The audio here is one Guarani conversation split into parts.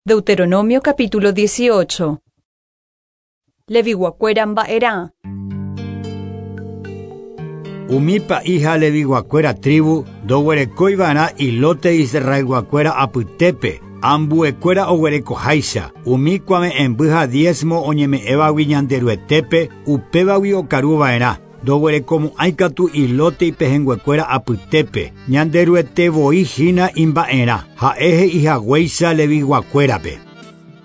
Deuteronomio capítulo 18. Leviguakuéra mba'erã. Umi pa'i ha Leviguakuéra tribu ndoguerekóiva'erã ilóte Israelguakuéra apytépe, ambuekuéra oguerekoháicha, umi kuave'ẽmby ha diezmo oñeme'ẽvagui Ñanderuetépe, upévagui okaruva'erã. Ndoguerekomo'ãi katu ilóte ipehẽnguekuéra apytépe, Ñanderuete voi hína imba'erã, ha'e he'ihaguéicha Leviguakuérape.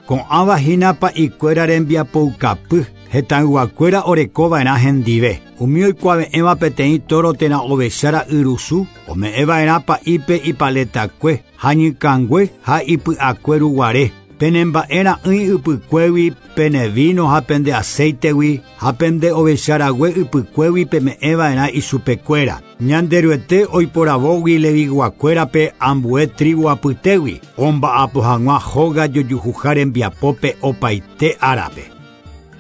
Ko'ãva hína pa'ikuéra rembiapoukapy, hetãyguakuéra orekova'erã hendive. Umi oikuave'ẽva peteĩ tóro térã ovecha ra'yrusu, ome'ẽva'erã pa'ípe ipaletakue, hañykãngue ha ipy'akue ruguare. Penemba'e ra'ỹi ypykuégui, pene víno ha pende acéitegui, ha pende ovecha rague ypykuégui peme'ẽva'erã ichupekuéra. Ñanderuete oiporavógui Leviguakuérape ambue tribu apytégui, omba'apo hag̃ua hóga jojuhuha rembiapópe opaite árape.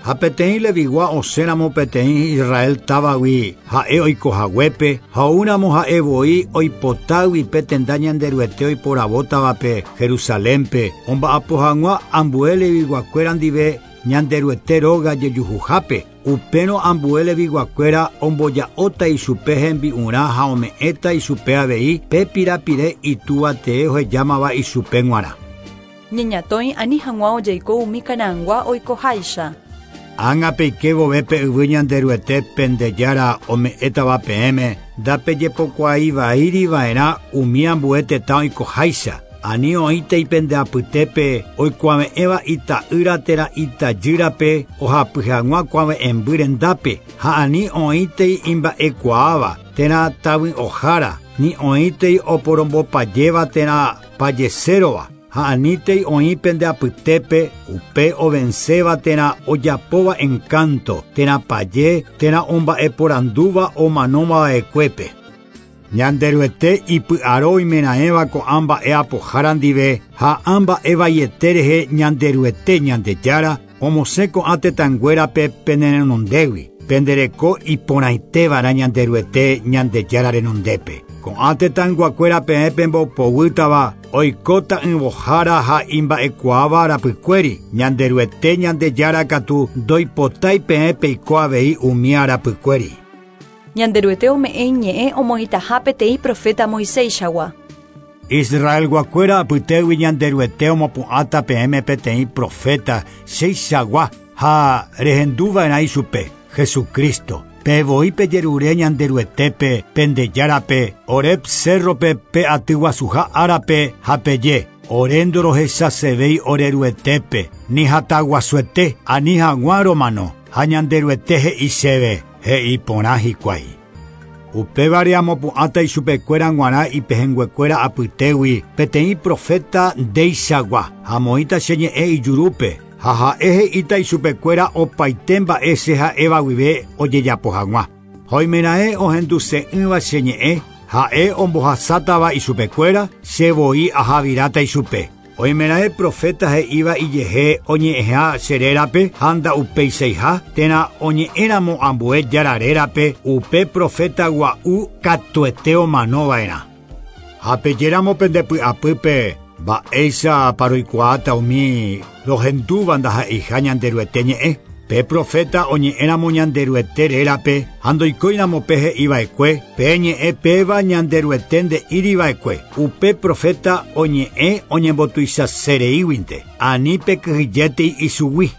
Ha peteĩ Levigua osẽramo peteĩ Israel távagui ha'e oikohaguépe, ha oúramo ha'e voi oipotágui pe tenda Ñanderuete oiporavótavape Jerusalénpe, omba'apo hag̃ua ambue Leviguakuéra ndive Ñanderuete róga jejuhuhápe, upérõ ambue Leviguakuéra omboja'óta ichupe hembi'urã ha ome'ẽta ichupe avei pe pirapire itúva tee ohejámava ichupe g̃uarã. Ñeñatõi ani hag̃ua ojeiko umi Canaangua oikoháicha. Ág̃a peike vove pe yvy Ñanderuete pende Jára ome'ẽtava peẽme, ndapejepokuaaiva'erã umi ambue tetã oikoháicha. Ani oĩtei pende apytépe oikuave'ẽva ita'ýra térã itajýrape ohapy hag̃ua kuave'ẽmby rendápe, ha ani oĩtei imba'ekuaáva térã tavy'ohára, ni oĩtei oporombopajéva térã pajesérova, ha anítei oĩ pende apytépe upe ovenséva térã ojapóva encanto, térã paje térã omba'eporandúva omanómava'ekuépe. Ñanderuete ipy'aro oimeraẽva ko'ã mba'e apohára ndive ha ã mba'e vaiete rehe Ñanderuete Ñandejára omosẽ ko'ã tetãnguérape penerenondégui, pendereko iporãitéva'erã Ñanderuete Ñandejára renondépe. Ko'ã tetãyguakuéra peẽ pembopoguýtava oikóta yvohára ha imba'ekuaáva rapykuéri, Ñanderuete Ñandejára katu ndoipotái peẽ peiko avei umi arapykuéri. Ñanderuete ome'ẽ iñe'ẽ omoĩtaha peteĩ profeta Moiséichagua. Israelguakuéra apytégui Ñanderuete omopu'ãta peẽme peteĩ profeta cheichagua ha rehenduva'erã ichupe, Jesucristo. Pe voi pejerure Ñanderuetépe, pende Járape, Horeb cérrope pe aty guasuha árape ha peje, ore ndorohechasevéi Oreruetépe, ni hataguasuete, ani hag̃ua romano, ha Ñanderuete he'i chéve, he'i porã hikuái. Upévare amopu'ãta ichupekuéra g̃uarã ipehẽnguekuéra apytégui peteĩ profeta ndeichagua, ha amoĩta che ñe'ẽ ijurúpe, ha ha'e he'íta ichupekuéra opaite mba'e che ha'éva guive ojejapo hag̃ua. Ha oimeraẽ ohenduse'ỹva che ñe'ẽ, ha'e ombohasátava ichupekuéra, che voi ahaviráta ichupe. Oimeraẽ profeta he'íva ijehe oñe'ẽha che rérape ha nda'upeichaiha, térã oñe'ẽramo ambue Jára rérape, upe profeta gua'u katuete omanova'erã. Ha pejéramo pende py'apýpe, mba'éicha paroikuaáta umi rohendúva ndaha'eiha Ñanderuete ñe'ẽ. Pe profeta oñe'ẽramo Ñanderuete rérape ha ndoikóiramo pe he'iva'ekue, pe ñe'ẽ péva Ñanderuete nde'íriva'ekue. Upe profeta oñe'ẽ oñembotuichasereíguinte, ani pekyhyjétei ichugui.